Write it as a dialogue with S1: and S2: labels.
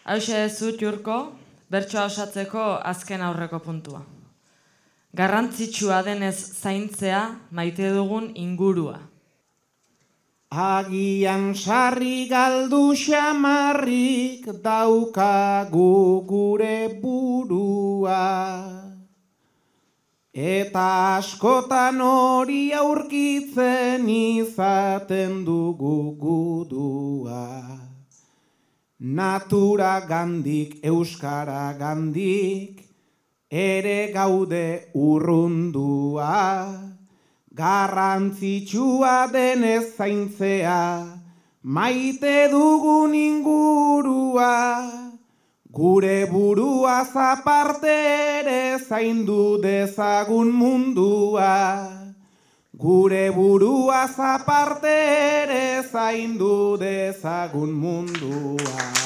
S1: Hauxe zut Jurko, bertsoa osatzeko azken aurreko puntua. Garrantzitsua denez zaintzea maite dugun ingurua.
S2: Agian sarri galdu xamarrik daukagu gure burua. Eta askotan hori aurkitzen izaten dugu gudua. Natura gandik, euskara gandik, ere gaude urrundua. Garrantzitsua denez zaintzea, maite dugun ingurua. Gure buruaz aparte ere zaindu dezagun mundua. Gure buruaz aparte ere zaindu dezagun mundua.